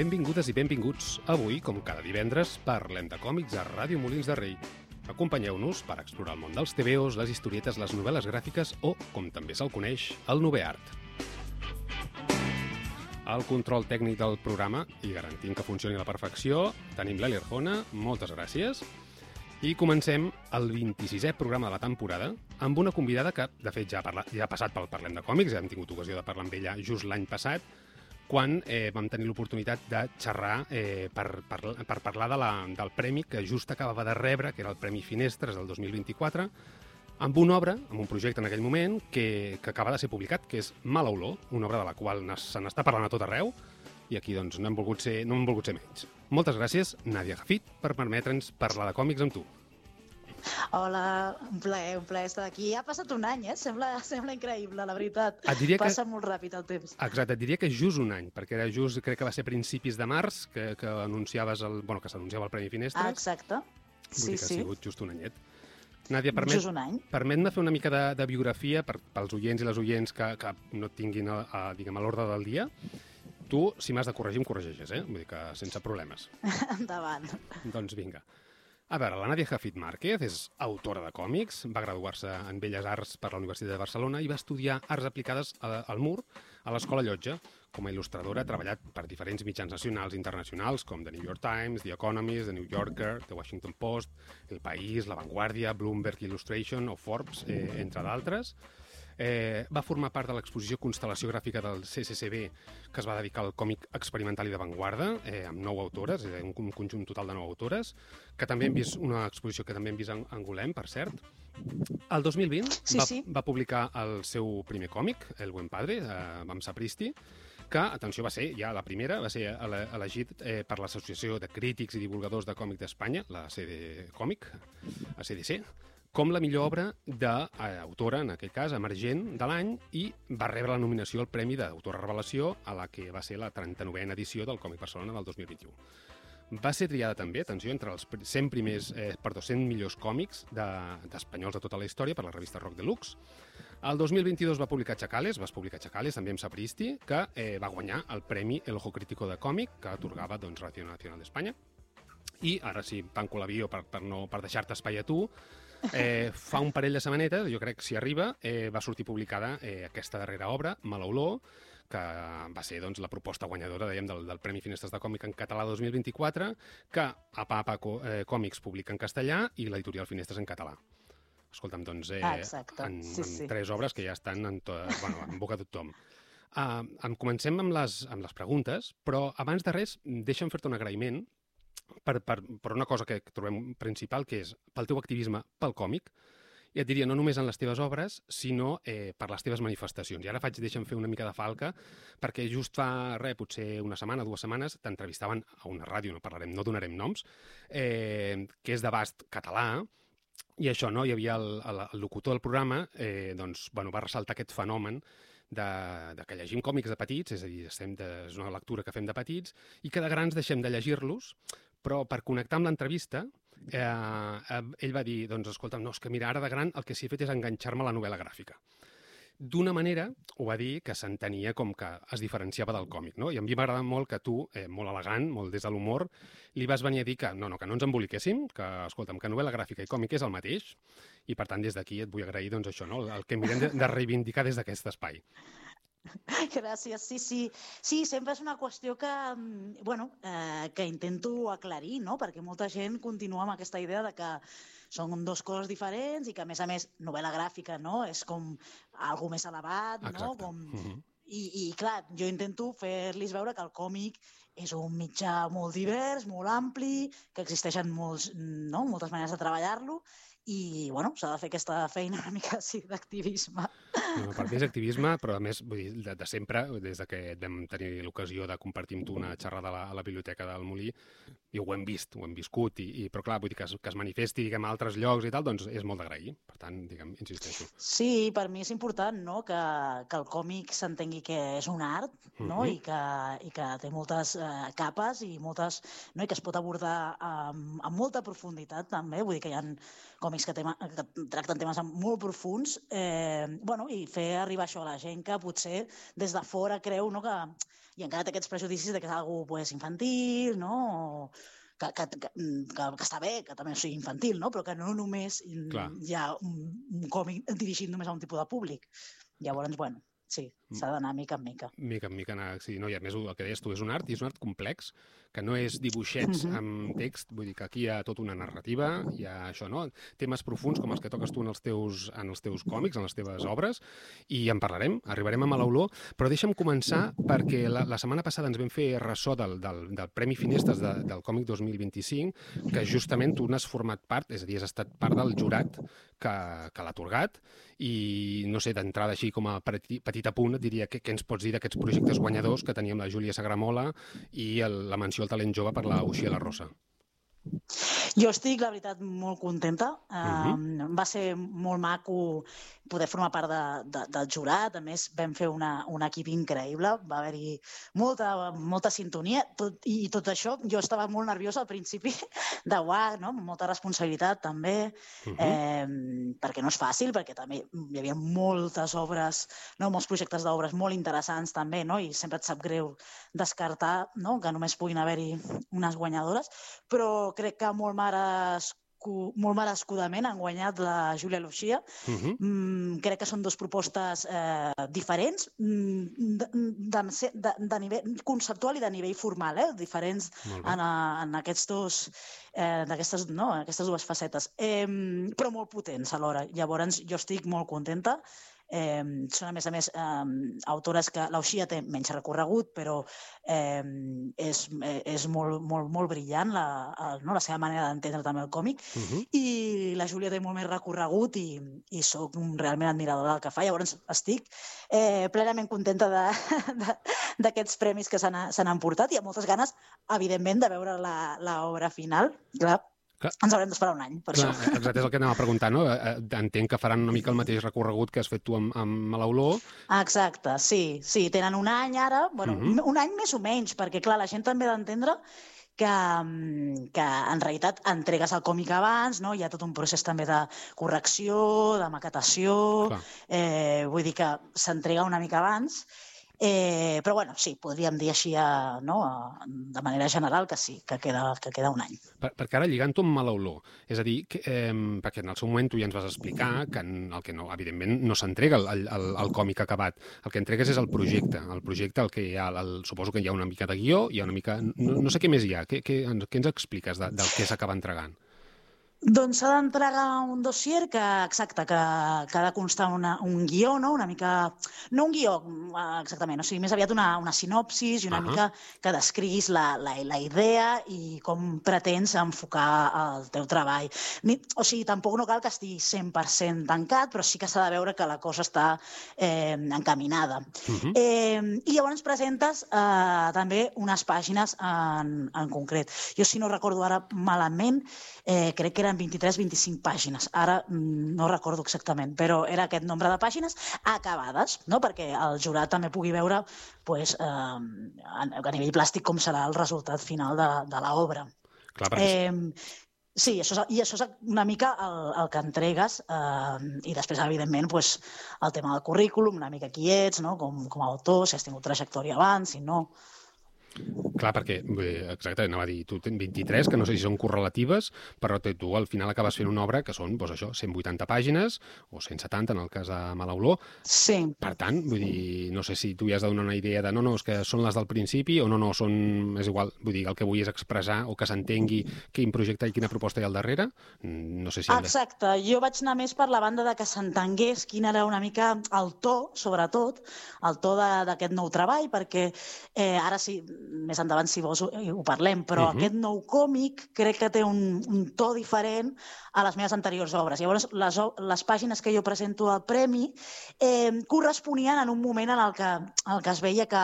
Benvingudes i benvinguts. Avui, com cada divendres, parlem de còmics a Ràdio Molins de Rei. Acompanyeu-nos per explorar el món dels TVOs, les historietes, les novel·les gràfiques o, com també se'l coneix, el noveart. Al control tècnic del programa, i garantint que funcioni a la perfecció, tenim l'Eli Arjona, moltes gràcies. I comencem el 26è programa de la temporada amb una convidada que, de fet, ja ha passat pel Parlem de Còmics, ja hem tingut ocasió de parlar amb ella just l'any passat, quan vam tenir l'oportunitat de xerrar per parlar del premi que just acabava de rebre, que era el Premi Finestres del 2024, amb una obra, amb un projecte en aquell moment, que acaba de ser publicat, que és Mala Olor, una obra de la qual se n'està parlant a tot arreu, i aquí doncs no hem volgut ser menys. Moltes gràcies, Nàdia Jafit, per permetre'ns parlar de còmics amb tu. Hola, un plaer estar aquí. Ha passat un any, Sembla increïble, la veritat. Passa molt ràpid el temps. Exacte, et diria que és just un any, perquè era just, crec que va ser a principis de març, que anunciaves que s'anunciava el Premi Finestres. Exacte. Sí. Ha sigut just un anyet. Nàdia, permet-me fer una mica de biografia pels oients i les oients que no tinguin a l'ordre del dia. Tu, si m'has de corregir, em corregeixes, Vull dir que sense problemes. Endavant. Doncs vinga. A veure, la Nàdia Jafit Márquez és autora de còmics, va graduar-se en Belles Arts per la Universitat de Barcelona i va estudiar Arts Aplicades al Mur, a l'Escola Llotja. Com a il·lustradora ha treballat per diferents mitjans nacionals i internacionals, com The New York Times, The Economist, The New Yorker, The Washington Post, El País, La Vanguardia, Bloomberg Illustration o Forbes, entre d'altres. Va formar part de l'exposició Constel·lació Gràfica del CCCB, que es va dedicar al còmic experimental i d'avantguarda, amb 9 autores, un conjunt total de 9 autores, que també hem vist una exposició que també hem vist a Angolem, per cert. El 2020 va publicar el seu primer còmic, El Buen Padre, amb Sapristi, que, atenció, va ser ja la primera, va ser elegit per l'Associació de Crítics i Divulgadors de Còmic d'Espanya, la CD Còmic, ACDC, com la millor obra d'autora, en aquest cas, emergent de l'any, i va rebre la nominació al Premi d'Autora Revelació a la que va ser la 39a edició del Còmic Barcelona del 2021. Va ser triada també, atenció, entre els 100 millors còmics d'espanyols de tota la història per la revista Rock Deluxe. El 2022 va publicar Chacales, també amb Sapristi, que va guanyar el Premi El Ojo Crítico de Còmic, que atorgava Radio Nacional d'Espanya. I ara sí, tanco l'avió per deixar-te espai a tu. Fa un parell de setmanetes, jo crec que si arriba, va sortir publicada aquesta darrera obra, Mala Olor, que va ser la proposta guanyadora, del Premi Finestres de Còmic en català 2024, que a Papa Còmics publica en castellà i l'editorial Finestres en català. Escolta'm, doncs, en 3 obres que ja estan en boca de tothom. Comencem amb les preguntes, però abans de res, deixa'm fer-te un agraïment per una cosa que trobem principal, que és pel teu activisme pel còmic. I et diria, no només en les teves obres, sinó per les teves manifestacions. I ara deixa'm fer una mica de falca, perquè just fa potser una setmana, 2 setmanes, t'entrevistaven a una ràdio, no donarem noms, que és d'abast català, i això, hi havia el locutor del programa, va ressaltar aquest fenomen de que llegim còmics de petits, és a dir, és una lectura que fem de petits, i que de grans deixem de llegir-los, però per connectar amb l'entrevista, ell va dir, escolta, no, és que mira, ara de gran el que s'hi ha fet és enganxar-me a la novel·la gràfica. D'una manera, ho va dir, que s'entenia com que es diferenciava del còmic, no? I a mi m'agrada molt que tu, molt elegant, molt des de l'humor, li vas venir a dir que no ens emboliquéssim, que, escolta'm, que novel·la gràfica i còmic és el mateix, i per tant des d'aquí et vull agrair això, el que mirem de reivindicar des d'aquest espai. Gràcies, sí. Sí, sempre és una qüestió que intento aclarir, no? Perquè molta gent continua amb aquesta idea de que són 2 coses diferents i que, a més, novel·la gràfica, no? És com algo més elevat, no? I clar, jo intento fer-los veure que el còmic és un mitjà molt divers, molt ampli, que existeixen moltes maneres de treballar-lo, i s'ha de fer aquesta feina una mica així d'activisme. Per mi és activisme, però a més, vull dir, de sempre, des que vam tenir l'ocasió de compartir amb tu una xerrada a la biblioteca del Molí, i ho hem viscut, però clar, vull dir que es manifesti, a altres llocs i tal, doncs és molt d'agrair. Per tant, insisteixo. Sí, per mi és important, no?, que el còmic s'entengui que és un art, no?, i que té moltes capes i que es pot abordar amb molta profunditat, també. Vull dir que hi ha còmics que tracten temes molt profuns, i i fer arribar això a la gent que potser des de fora creu, no, que i encara té aquests prejudicis de que és algo pues, infantil, no? Que està bé, que també sigui infantil, no? Però que no només hi ha un còmic dirigit només a un tipus de públic. Llavors, bueno, sí, s'ha d'anar mica en mica. Mica en mica anar, sí. No, i a més, el que deies tu, és un art, i és un art complex, que no és dibuixets amb text, vull dir que aquí hi ha tota una narrativa, hi ha això, no? Temes profuns com els que toques tu en els teus còmics, en les teves obres, i en parlarem, arribarem a Malaolor, però deixa'm començar perquè la setmana passada ens vam fer ressò del Premi Finestres del còmic 2025, que justament tu n'has format part, és a dir, has estat part del jurat que l'ha atorgat, i no sé, d'entrada així com a petit apunt, et diria què ens pots dir d'aquests projectes guanyadors que teníem la Júlia Sagramola i la menció al talent jove per la Uxia La Rosa. Jo estic, la veritat, molt contenta. Va ser molt maco poder formar part del jurat. A més, vam fer un equip increïble. Va haver-hi molta sintonia. I tot això, jo estava molt nerviosa al principi de no? Molta responsabilitat, també, perquè no és fàcil, perquè també hi havia moltes obres, no? Molts projectes d'obres molt interessants, també, no? I sempre et sap greu descartar, no? Que només puguin haver-hi unes guanyadores, però crec que molt merescudament han guanyat la Júlia Lucia. Crec que són dues propostes diferents, de nivell conceptual i de nivell formal, diferents en aquestes dues facetes, però molt potents alhora. Llavors, jo estic molt contenta. Són, a més, autores que l'Uxia té menys recorregut, però és molt brillant la seva manera d'entendre també el còmic, i la Júlia té molt més recorregut i soc realment admiradora del que fa. Llavors estic plenament contenta d'aquests premis que se n'han portat i amb moltes ganes, evidentment, de veure l'obra final. Clar, ens haurem d'esperar un any, per això. Exacte, és el que anava a preguntar, no? Entenc que faran una mica el mateix recorregut que has fet tu amb Malaolor. Exacte, sí. Tenen un any ara, bueno, un any més o menys, perquè, clar, la gent també ha d'entendre que en realitat entregues el còmic abans, no? Hi ha tot un procés també de correcció, de maquetació, vull dir que s'entrega una mica abans. Però, bueno, sí, podríem dir així, de manera general, que sí, que queda un any. Perquè ara, lligant-ho amb Malaolor, és a dir, perquè en el seu moment tu ja ens vas explicar que el que no, evidentment, no s'entrega el còmic acabat. El que entregues és el projecte. El projecte, el que hi ha, suposo que hi ha una mica de guió, hi ha una mica... No sé què més hi ha. Què ens expliques del que s'acaba entregant? Doncs s'ha d'entregar un dossier que ha de constar un guió, no? Una mica... No un guió, exactament, o sigui, més aviat una sinopsis i una mica que descriguis la idea i com pretens enfocar el teu treball. O sigui, tampoc no cal que estigui 100% tancat, però sí que s'ha de veure que la cosa està encaminada. I llavors presentes també unes pàgines en concret. Jo, si no recordo ara malament, crec que eren 23-25 pàgines. Ara no recordo exactament, però era aquest nombre de pàgines acabades, no? Perquè el jurat també pugui veure a nivell plàstic com serà el resultat final de l'obra. Sí, i això és una mica el que entregues i després, evidentment, el tema del currículum, una mica qui ets, com a autor, si has tingut trajectòria abans, si no... Clar, perquè, exacte, anava a dir, tu tens 23, que no sé si són correlatives, però tu al final acabes fent una obra que són, doncs això, 180 pàgines, o 170 en el cas de Malaolor. Sí. Per tant, vull dir, no sé si tu ja has de donar una idea de no, és que són les del principi, o no, és igual, vull dir, el que vull és expressar o que s'entengui quin projecte i quina proposta hi ha al darrere. No sé si... Exacte, jo vaig anar més per la banda de que s'entengués quin era una mica el to, sobretot, el to d'aquest nou treball, perquè ara sí, més endavant, si vols, ho parlem, però aquest nou còmic crec que té un to diferent a les meves anteriors obres. Llavors, les pàgines que jo presento al premi corresponien en un moment en el que es veia que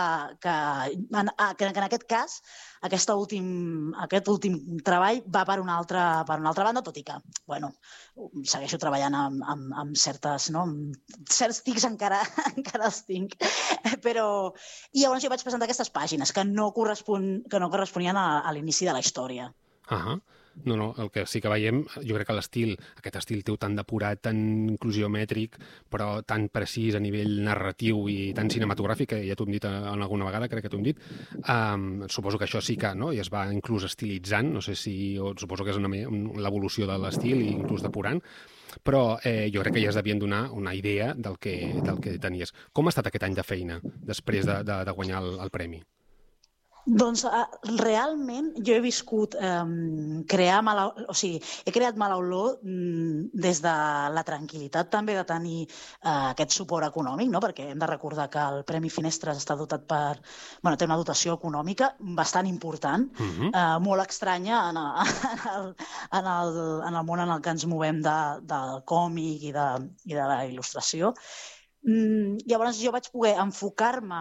en aquest cas aquest últim treball va per una altra banda, tot i que, bueno, segueixo treballant amb certs tics encara els tinc, però... I llavors jo vaig presentar aquestes pàgines que no corresponien a l'inici de la història. No, el que sí que veiem, jo crec que aquest estil teu tan depurat, tan inclusiomètric, però tan precís a nivell narratiu i tan cinematogràfic, que ja t'ho hem dit alguna vegada, crec que t'ho hem dit, suposo que això sí que, no?, i es va inclús estilitzant, no sé si, suposo que és l'evolució de l'estil i inclús depurant, però jo crec que ja es devien donar una idea del que tenies. Com ha estat aquest any de feina després de guanyar el premi? Doncs realment jo he viscut crear mala... O sigui, he creat mala olor des de la tranquil·litat també de tenir aquest suport econòmic, no? Perquè hem de recordar que el Premi Finestres està dotat per... Bueno, té una dotació econòmica bastant important, molt estranya en el món en el que ens movem del còmic i de la il·lustració. Llavors jo vaig poder enfocar-me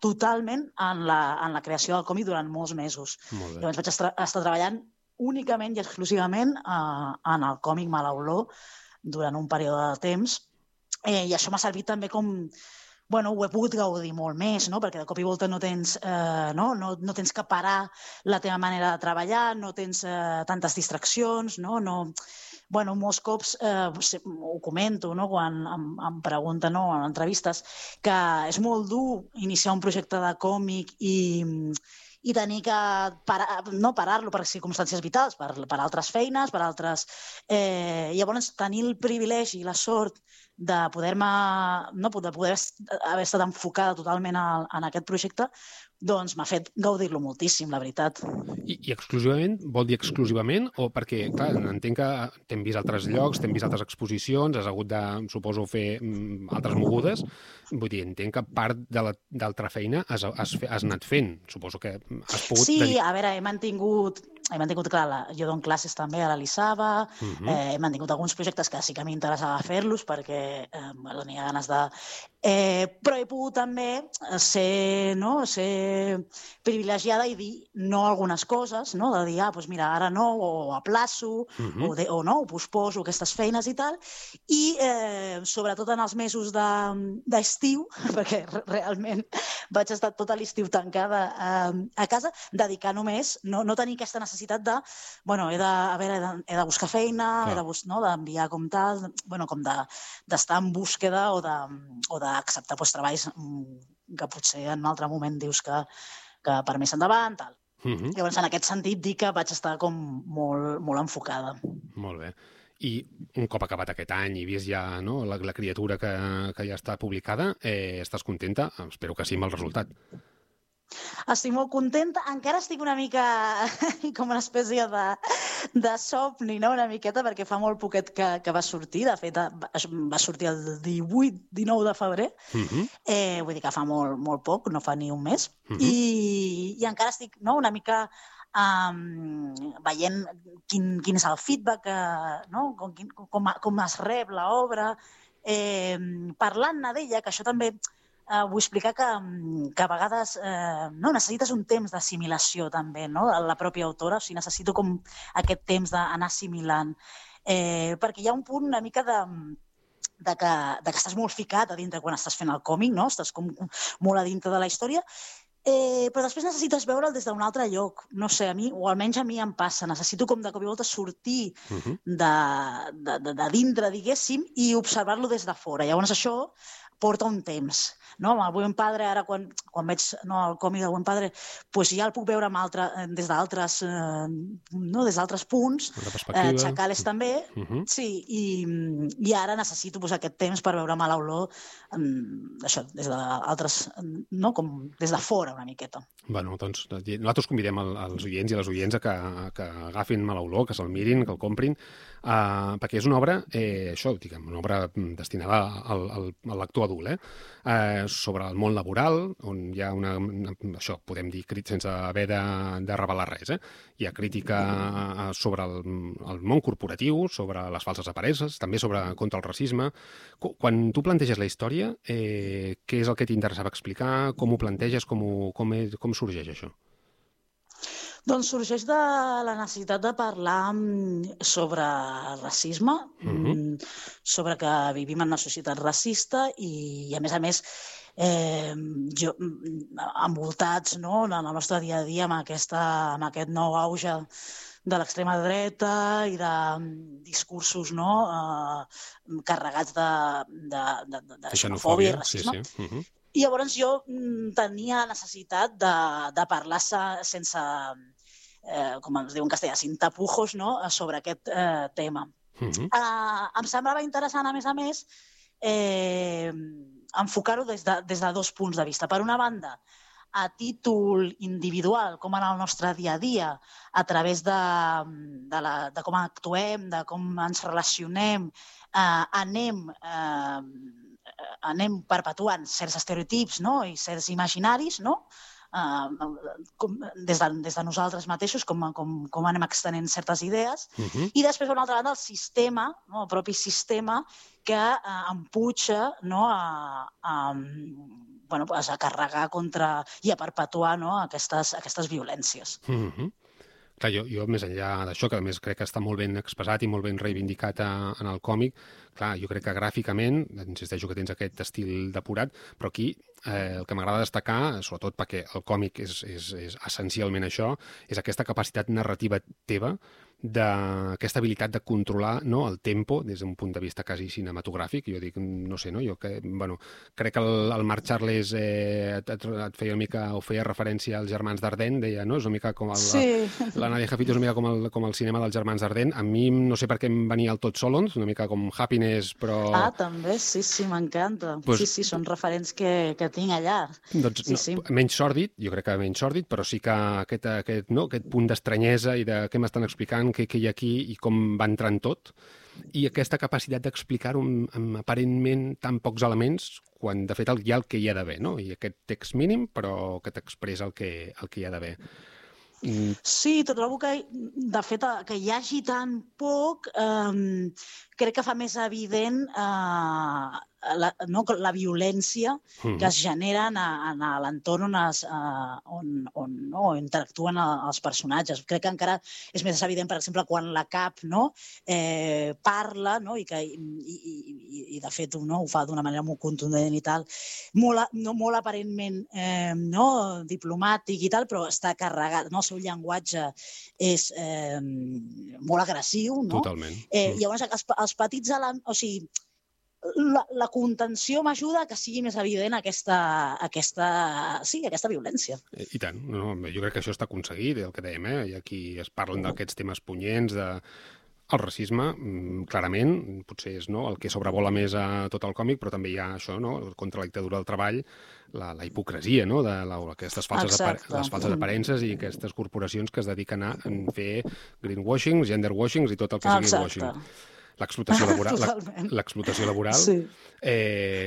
totalment en la creació del còmic durant molts mesos. Llavors vaig estar treballant únicament i exclusivament en el còmic Mala Olor durant un període de temps, i això m'ha servit també com... Bueno, ho he pogut gaudir molt més, no? Perquè de cop i volta no tens que parar la teva manera de treballar, no tens tantes distraccions, no... Bueno, molts cops ho comento, no?, quan em pregunten en entrevistes, que és molt dur iniciar un projecte de còmic i tenir que parar-lo per circumstàncies vitals, per altres feines, per altres... Llavors, tenir el privilegi i la sort de poder haver estat enfocada totalment en aquest projecte, doncs m'ha fet gaudir-lo moltíssim, la veritat. I exclusivament? Vol dir exclusivament? O perquè, clar, entenc que t'hem vist altres llocs, t'hem vist altres exposicions, has hagut de, suposo, fer altres mogudes. Vull dir, entenc que part de l'altra feina has anat fent. Suposo que has pogut... Sí, a veure, he mantingut, clar, jo dono classes també a l'Elisava, he mantingut alguns projectes que sí que m'interessava fer-los perquè tenia ganes de... Però he pogut també ser privilegiada i dir no a algunes coses, no? De dir, doncs mira, ara no, o aplaço, o no, o posposo aquestes feines i tal, i sobretot en els mesos d'estiu, perquè realment vaig estar tot l'estiu tancada a casa, dedicar només, no tenir aquesta necessitat de, bueno, he de buscar feina, he d'enviar com tal, com d'estar en búsqueda o d'acceptar treballs que potser en un altre moment dius que per més endavant, tal. Llavors, en aquest sentit, dic que vaig estar com molt enfocada. Molt bé. I un cop acabat aquest any i vist ja la criatura que ja està publicada, estàs contenta? Espero que sí amb el resultat. Estic molt contenta. Encara estic una mica com una espècie de somni, no? Una miqueta, perquè fa molt poquet que va sortir. De fet, va sortir el 18-19 de febrer. Vull dir que fa molt poc, no fa ni un mes. I encara estic una mica veient quin és el feedback, com es rep l'obra, parlant-ne d'ella, que això també... Vull explicar que a vegades necessites un temps d'assimilació també, no?, de la pròpia autora, o sigui, necessito com aquest temps d'anar assimilant, perquè hi ha un punt una mica de que estàs molt ficat a dintre quan estàs fent el còmic, no?, estàs com molt a dintre de la història, però després necessites veure'l des d'un altre lloc, no sé, a mi, o almenys a mi em passa, necessito com de cop i volta sortir de dintre, diguéssim, i observar-lo des de fora. Llavors això porta un temps. No? El Buen Padre, ara quan veig el còmic del Buen Padre, ja el puc veure des d'altres punts, Chacales també, sí, i ara necessito aquest temps per veure Mala Olor, això, des de fora una miqueta. Bueno, doncs nosaltres convidem els oients i les oients a que agafin Mala Olor, que se'l mirin, que el comprin, perquè és una obra, una obra destinada al lector adult, sobre el món laboral, on hi ha això podem dir sense haver de revelar res, hi ha crítica sobre el món corporatiu, sobre les falses aparences, també contra el racisme. Quan tu planteges la història, què és el que t'interessava explicar, com ho planteges, com sorgeix això? Doncs sorgeix de la necessitat de parlar sobre racisme, sobre que vivim en una societat racista i, a més, envoltats, no?, en el nostre dia a dia amb aquest nou auge de l'extrema dreta i de discursos, no?, carregats de xenofòbia i racisme. Sí. I llavors jo tenia necessitat de parlar sense, com ens diu en castellà, sin tapujos, no?, sobre aquest tema. Em semblava interessant, a més, enfocar-ho des de dos punts de vista. Per una banda, a títol individual, com en el nostre dia a dia, a través de com actuem, de com ens relacionem, anem perpetuant certs estereotips, no?, i certs imaginaris, no?, des de nosaltres mateixos, com anem extenent certes idees, i després, per una altra banda, el sistema, el propi sistema, que empuja, no?, a carregar contra i a perpetuar, no?, aquestes violències. Clar, jo, més enllà d'això, que a més crec que està molt ben expressat i molt ben reivindicat en el còmic, clar, jo crec que gràficament, insisteixo que tens aquest estil depurat, però aquí el que m'agrada destacar, sobretot perquè el còmic és essencialment això, és aquesta capacitat narrativa teva, d'aquesta habilitat de controlar, no, el tempo des d'un punt de vista quasi cinematogràfic. Jo dic, no sé, no? Jo crec que el Marc Charles et feia una mica, o feia referència als germans Dardenne, deia, no? És una mica com la Nadia Jafit és una mica com el cinema dels germans Dardenne. A mi no sé per què em venia el Todd Solondz, una mica com Happiness, però... També, sí, m'encanta. Sí, són referents que tinc allà. Doncs menys sòrdid, jo crec que menys sòrdid, però sí que aquest punt d'estranyesa i de què m'estan explicant, què hi ha aquí i com va entrant tot, i aquesta capacitat d'explicar-ho amb aparentment tan pocs elements, quan de fet hi ha el que hi ha d'haver, no? I aquest text mínim, però que t'expressa el que hi ha d'haver. Sí, trobo que, de fet, que hi hagi tan poc, crec que fa més evident la violència que es genera en l'entorn on interactuen els personatges. Crec que encara és més evident, per exemple, quan la Cap parla, i de fet ho fa d'una manera molt contundent i tal, molt aparentment diplomàtic i tal, però està carregat, el seu llenguatge és molt agressiu. Totalment. Llavors, els petits elements, o sigui, la contenció m'ajuda a que sigui més evident aquesta violència. I tant. Jo crec que això està aconseguit, el que dèiem, i aquí es parlen d'aquests temes punyents, el racisme, clarament, potser és el que sobrevola més a tot el còmic, però també hi ha això, contra la dictadura del treball, la hipocresia, aquestes falses aparences i aquestes corporacions que es dediquen a fer greenwashing, genderwashing i tot el que sigui washing. L'explotació laboral. Sí.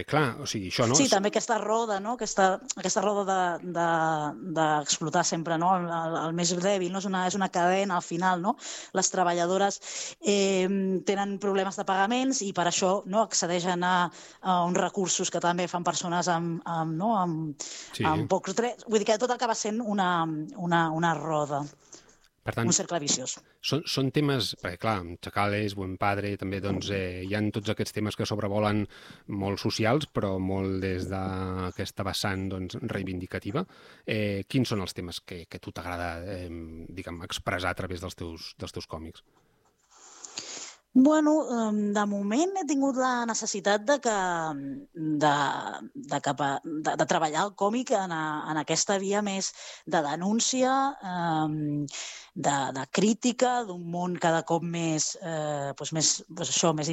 Clar, o sigui, això, no? Sí, també aquesta roda, aquesta roda d'explotar sempre el més dèbil, no? És una cadena al final, no? Les treballadores tenen problemes de pagaments i per això accedeixen a uns recursos que també fan persones amb pocs drets. Vull dir que tot acaba sent una roda. Per tant, un cercle viciós. Són temes, perquè clar, Chacales, Buen Padre, també hi ha tots aquests temes que sobrevolen molt socials, però molt des d'aquesta vessant reivindicativa. Quins són els temes que a tu t'agrada expressar a través dels teus còmics? Bueno, de moment he tingut la necessitat de treballar el còmic en aquesta via més de denúncia, de crítica, d'un món cada cop més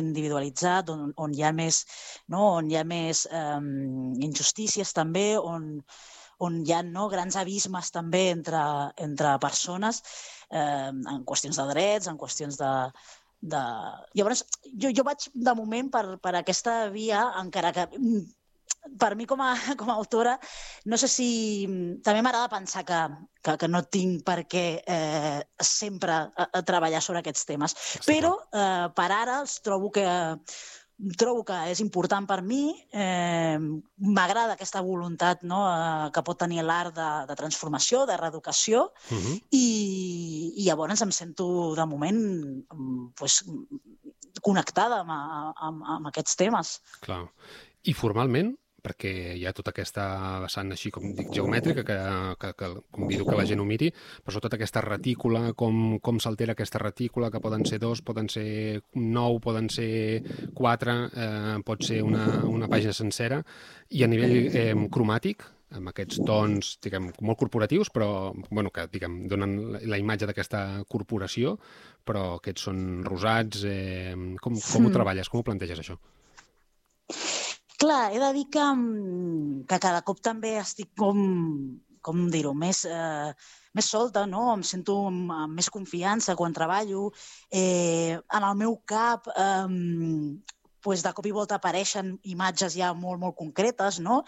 individualitzat, on hi ha més injustícies també, on hi ha grans abismes també entre persones, en qüestions de drets, en qüestions Llavors, jo vaig, de moment, per aquesta via, encara que per mi com a autora, no sé si... També m'agrada pensar que no tinc per què sempre treballar sobre aquests temes, però per ara els trobo que és important per mi, m'agrada aquesta voluntat que pot tenir l'art de transformació, de reeducació, i llavors em sento, de moment, connectada amb aquests temes. Clar. I formalment, perquè hi ha tota aquesta vessant així, com dic, geomètrica, que convido que la gent ho miri, però sobretot aquesta retícula, com s'altera aquesta retícula, que poden ser 2, poden ser 9, poden ser 4, pot ser una pàgina sencera, i a nivell cromàtic, amb aquests tons, diguem, molt corporatius, però, bueno, que, diguem, donen la imatge d'aquesta corporació, però aquests són rosats. Com ho treballes? Com ho planteges, això? Clar, he de dir que cada cop també estic com dir-ho, més solta, no? Em sento amb més confiança quan treballo. En el meu cap, de cop i volta apareixen imatges ja molt, molt concretes, no?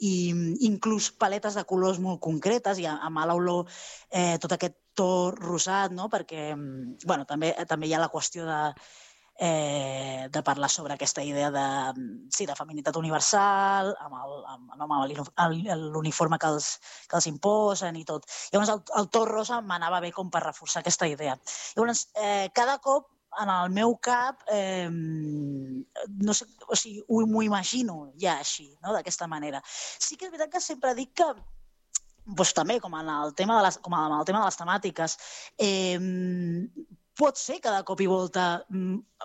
I inclús paletes de colors molt concretes, i amb l'olor tot aquest to rosat, no? Perquè, bueno, també hi ha la qüestió de parlar sobre aquesta idea de feminitat universal, amb l'uniforme que els imposen i tot. Llavors, el to rosa m'anava bé com per reforçar aquesta idea. Llavors, cada cop en el meu cap, no sé, o sigui, m'ho imagino ja així, no? D'aquesta manera. Sí que és veritat que sempre dic que, doncs també, com en el tema de les temàtiques, pot ser que de cop i volta,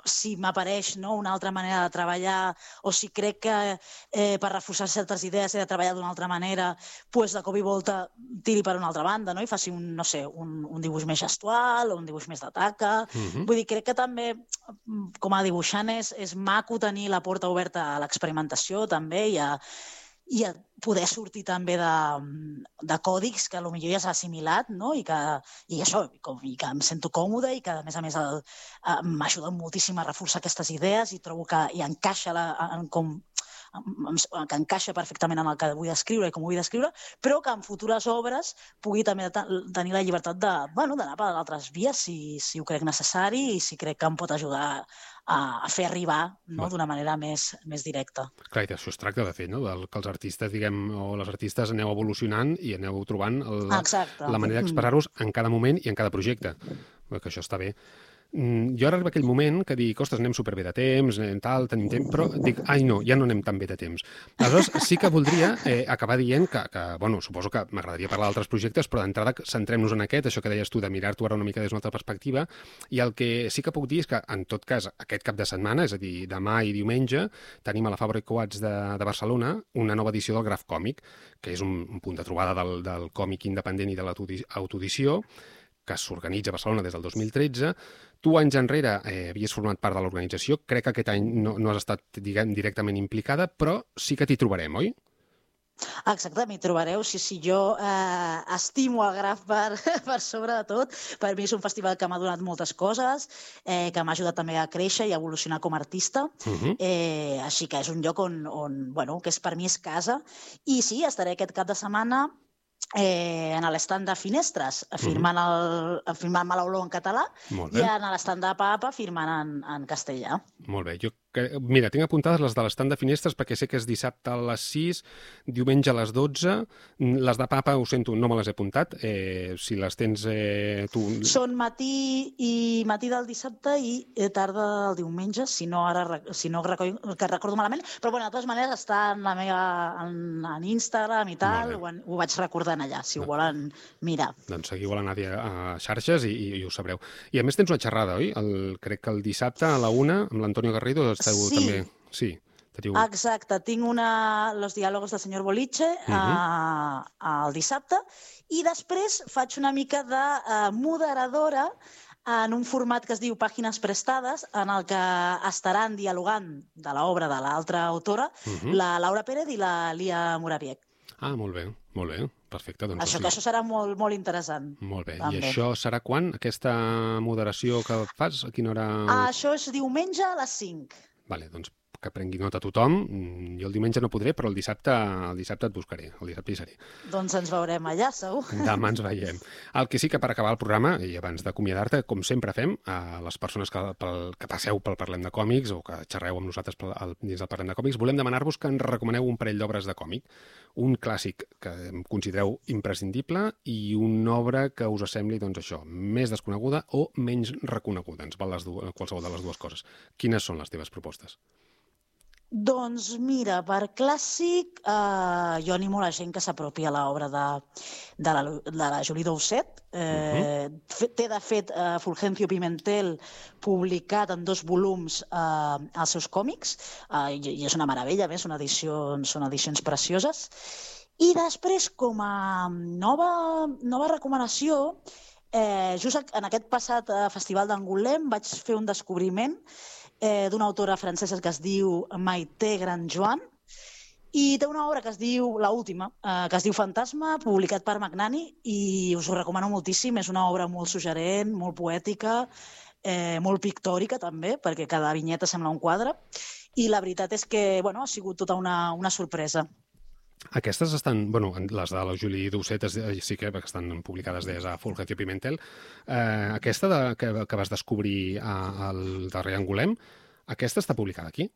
si m'apareix, no, una altra manera de treballar, o si crec que per reforçar certes idees he de treballar d'una altra manera, doncs de cop i volta tiri per una altra banda, no? I faci un dibuix més gestual o un dibuix més de taca. Vull dir, crec que també, com a dibuixant, és maco tenir la porta oberta a l'experimentació, també, i a poder sortir també de còdics que potser ja s'ha assimilat, no? I que em sento còmode i que, a més, m'ajuda moltíssim a reforçar aquestes idees i trobo que hi encaixa que encaixa perfectament en el que vull descriure i com ho vull descriure, però que en futures obres pugui també tenir la llibertat d'anar per altres vies si ho crec necessari i si crec que em pot ajudar a fer arribar, no, d'una manera més directa. Clar, i d'això es tracta, de fet, no? Que els artistes, diguem, o les artistes aneu evolucionant i aneu trobant la manera d'expressar-vos en cada moment i en cada projecte. Que això està bé. Jo ara arriba aquell moment que dic, ostres, anem superbé de temps, tal, tenim temps, però dic, ai no, ja no anem tan bé de temps. Aleshores, sí que voldria acabar dient que, bueno, suposo que m'agradaria parlar d'altres projectes, però d'entrada centrem-nos en aquest, això que deies tu, de mirar-t'ho ara una mica des d'una altra perspectiva, i el que sí que puc dir és que, en tot cas, aquest cap de setmana, és a dir, demà i diumenge, tenim a la Fabra i Coats de Barcelona una nova edició del Graf Còmic, que és un punt de trobada del còmic independent i de l'autoedició, que s'organitza a Barcelona des del 2013. Tu, anys enrere, havies format part de l'organització. Crec que aquest any no has estat, diguem, directament implicada, però sí que t'hi trobarem, oi? Exacte, m'hi trobareu. Sí, jo estimo el Graf per sobre de tot. Per mi és un festival que m'ha donat moltes coses, que m'ha ajudat també a créixer i a evolucionar com a artista. Així que és un lloc on que per mi és casa. I sí, estaré aquest cap de setmana en l'estand de Finestres, firmant-me l'olor en català, i en l'estand de Papa firmant en castellà. Molt bé. Mira, tinc apuntades les de l'estand de Finestres perquè sé que és dissabte a les 6, diumenge a les 12. Les de Papa, ho sento, no me les he apuntat. Si les tens tu... Són matí del dissabte i tarda del diumenge, si no recordo malament. Però, bueno, de totes maneres, està en Instagram i tal, ho vaig recordant allà, si ho volen mirar. Doncs seguiu a la Nàdia a xarxes i ho sabreu. I a més tens una xerrada, oi? Crec que el dissabte a la 1, amb l'Antonio Garrido, també. Sí. Exacte, tinc Los diálogos del senyor Boliche el dissabte i després faig una mica de moderadora en un format que es diu Pàgines Prestades, en el que estaran dialogant de l'obra de l'altra autora, la Laura Pérez i la Lia Moraviec. Ah, molt bé. Perfecte. Doncs això serà molt, molt interessant. Molt bé. També. I això serà quan, aquesta moderació que fas? A quina hora? Això és diumenge a les 5. Vale, doncs que prengui nota a tothom. Jo el diumenge no podré, però el dissabte et buscaré. El dissabte hi seré. Doncs ens veurem allà, segur. Demà ens veiem. El que sí que per acabar el programa, i abans d'acomiadar-te, com sempre fem, a les persones que passeu pel Parlem de Còmics o que xerreu amb nosaltres dins del Parlem de Còmics, volem demanar-vos que ens recomaneu un parell d'obres de còmic. Un clàssic que considereu imprescindible i una obra que us sembli, doncs això, més desconeguda o menys reconeguda. Ens val qualsevol de les dues coses. Quines són les teves propostes? Doncs mira, per clàssic, jo animo la gent que s'apropi a l'obra de la Julie Doucet. Té, de fet, Fulgencio Pimentel publicat en 2 volums els seus còmics, i és una meravella, són edicions precioses. I després, com a nova recomanació, just en aquest passat Festival d'Angoulême vaig fer un descobriment d'una autora francesa que es diu Maite Grandjoan, i té una obra que es diu, l'última, que es diu Fantasma, publicat per Magnani, i us ho recomano moltíssim. És una obra molt suggerent, molt poètica, molt pictòrica també, perquè cada vinyeta sembla un quadre, i la veritat és que ha sigut tota una sorpresa. Aquestes estan, les de la Julie Doucet sí que estan publicades des de Fulgencio Pimentel. Aquesta que vas descobrir al darrer Angoulême, aquesta està publicada aquí?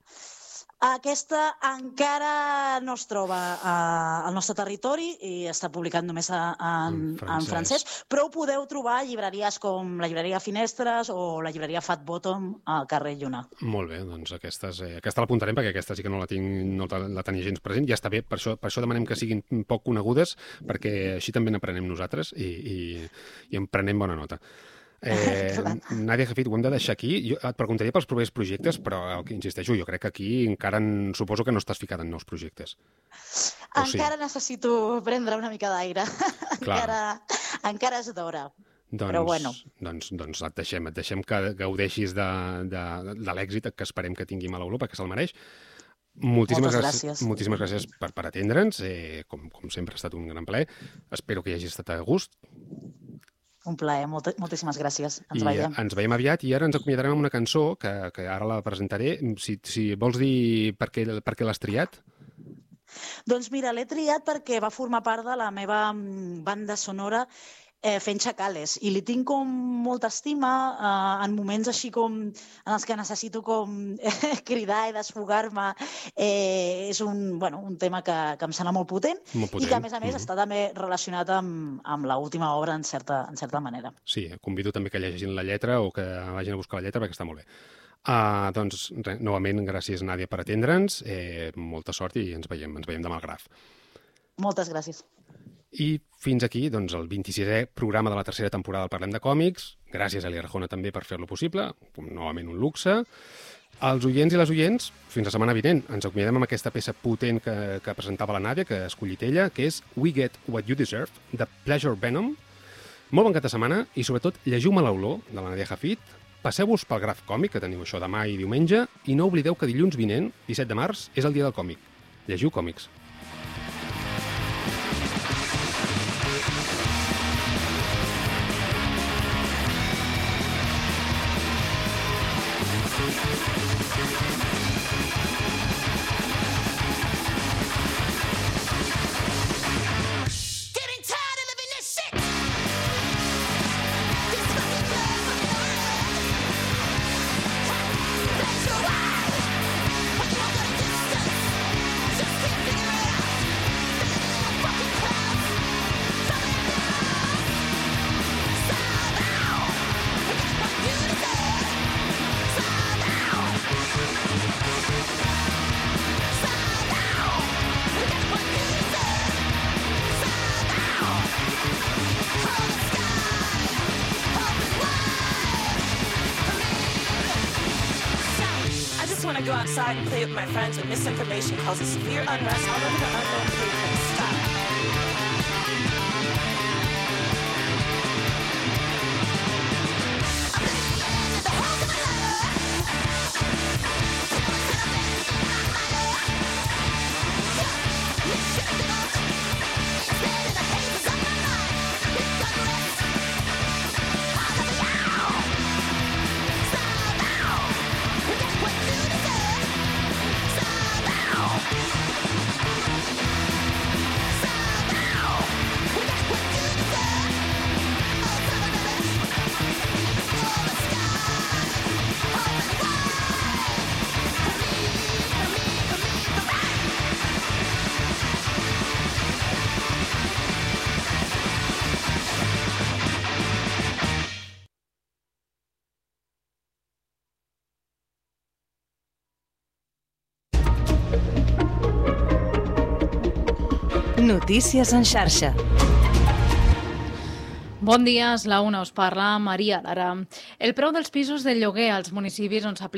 Aquesta encara no es troba al nostre territori i està publicat només en francès, però ho podeu trobar a llibreries com la llibreria Finestres o la llibreria Fat Bottom al carrer Lluna. Molt bé, doncs aquesta l'apuntarem perquè aquesta sí que no la tenia gens present i ja està bé, per això demanem que siguin poc conegudes perquè així també n'aprenem nosaltres i en prenem bona nota. Nàdia Jafit, ho hem de deixar aquí. Jo et preguntaria pels propers projectes, però insisteixo, jo crec que aquí encara suposo que no estàs ficada en nous projectes. Encara necessito prendre una mica d'aire. Encara és d'hora. Però bueno. Doncs et deixem que gaudeixis de l'èxit que esperem que tinguim a l'Oló, perquè se'l mereix. Moltíssimes gràcies per atendre'ns. Com sempre ha estat un gran plaer. Espero que hi hagis estat a gust. Un plaer, moltíssimes gràcies. Ens veiem aviat i ara ens acomiadarem amb una cançó que ara la presentaré. Si vols dir per què l'has triat? Doncs mira, l'he triat perquè va formar part de la meva banda sonora fent Xacales, i li tinc com molta estima en moments així com en els que necessito com cridar i desfogar-me. És un tema que em sembla molt potent i que a més està també relacionat amb l'última obra en certa manera. Sí, convido també que llegeixin la lletra o que vagin a buscar la lletra perquè està molt bé. Doncs novament gràcies Nàdia per atendre'ns, molta sort i ens veiem demà al Graf. Moltes gràcies. I fins aquí el 26è programa de la tercera temporada del Parlem de Còmics. Gràcies a l'Arjona també per fer-lo possible. Novament un luxe. Als oients i les oients, fins la setmana vinent. Ens acomiadem amb aquesta peça potent que presentava la Nàdia, que ha escollit ella, que és We Get What You Deserve, de Pleasure Venom. Molt bon cap de setmana i, sobretot, llegiu-me l'olor de la Nàdia Jafit. Passeu-vos pel Graf Còmic, que teniu això demà i diumenge, i no oblideu que dilluns vinent, 17 de març, és el dia del còmic. Llegiu còmics. Go outside and play with my friends when misinformation causes severe unrest all over the unknown blueprint. Stop. Notícies en xarxa. Bon dia, és la 1, us parla Maria Lara. El preu dels pisos de lloguer als municipis on s'aplica